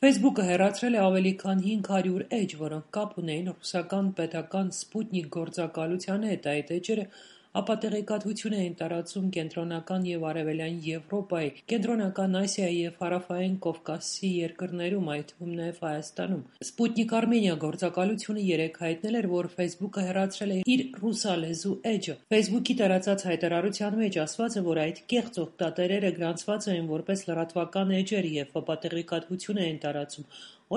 Facebook-ը հեռացրել է ավելի քան 500 էջ, որոնք կապ ունեին ռուսական պետական «Սպուտնիկ» գործակալության հետ: Այդ էջերը ապատեղեկատվություն էին տարածում Կենտրոնական և Արևելյան Եվրոպայի, Կենտրոնական Ասիայի և Հարավային Կովկասի երկրներում, այդ թվում նաև Հայաստանում: «Սպուտնիկ Արմենիա» գործակալությունը երեկ հայտնել էր, որ Facebook-ը հեռացրել է իր ռուսալեզու էջը: Facebook-ի տարածած հայտարարության մեջ ասված է, որ այդ կեղծ օգտատերերը գրանցված էին որպես լրատվական էջեր և ապատեղեկատվություն էին տարածում: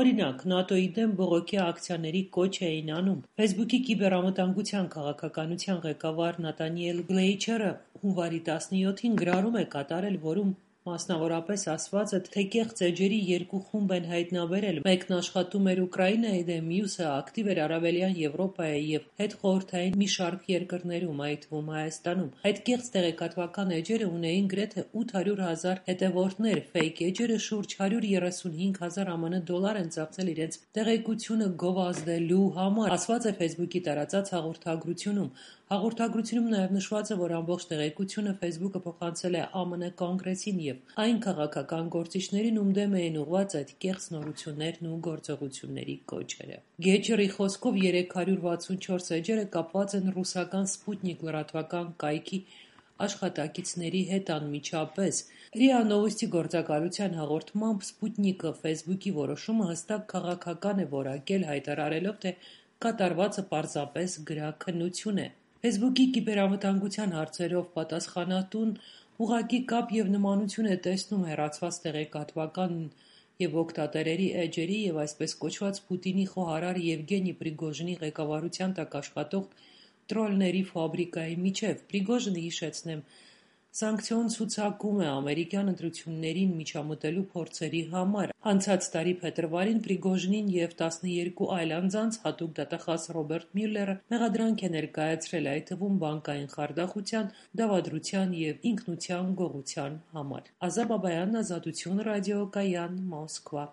Օրինակ, ՆԱՏՕ-ի դեմ բողոքի ակցիաների կոչ էին անում: Facebook-ի կիբերանվտանգության քաղաքականության ղեկավար Նաթանիել Գլեյչերը հունվարի 17-ին գրառում է կատարել, որում մասնավորապես ասված է, թե կեղծ էջերի երկու խումբ են հայտնաբերել: Մեկն աշխատում էր Ուկրաինայի դեմ, մյուսը ակտիվ էր Արևելյան Եվրոպայի և հետխորհրդային մի շարք երկրներում, այդ թվում Հայաստանում: Այդ կեղծ տեղեկատվական էջերը ունեին գրեթե 800 հազար հետևորդներ: Ֆեյք էջերը շուրջ 135 հազար ԱՄՆ դոլար են ծախսել իրենց տեղեկությունը գովազդելու համար, ասված է Facebook-ի տարածած հաղորդագրությունում: Հաղորդագրությունում նաև նշված է, որ ամբողջ տեղեկությունը Facebook-ը փոխանցել է ԱՄՆ Կոնգրեսին և այն քաղաքական գործիչներին, ում դեմ էին ուղղված այդ կեղծ նորություններն ու գործողությունների կոչերը: Գեչերի խոսքով 364 էջերը կապված են ռուսական «Սպուտնիկ» լրատվական կայքի աշխատակիցների հետ անմիջապես: ՌԻԱ Նովոստի գործակալության հաղորդմամբ, «Սպուտնիկը» Facebook-ի որոշումը հստակ քաղաքական է որակել, հայտարարելով, թե կատարվածը պարզապես գրաքննություն է: Facebook-ի կիբերանվտանգության հարցերով պատասխանատուն ուղղակի կապ և նմանություն է տեսնում հեռացված տեղեկատվական և օգտատերերի էջերի և այսպես կոչված Պուտինի խոհարար Եվգենի Պրիգոժինի ղեկավարության տակ աշխատող տրոլների ֆաբրիկայի միջև: Պրիգոժինը, հիշեցնենք, սանկցիոն ցուցակում է ամերիկյան ընտրություններին միջամտելու փորձերի համար: Անցած տարի փետրվարին Պրիգոժինին և 12 այլ անձանց հատուկ դատախազ Ռոբերտ Մյուլլերը մեղադրանք է ներկայացրել, այդ թվում բանկային խարդախության, դավադրության և ինքնության գողության համար: Ազատ Բաբայան, Ազատություն ռադիո, Կայան, Մոսկվա: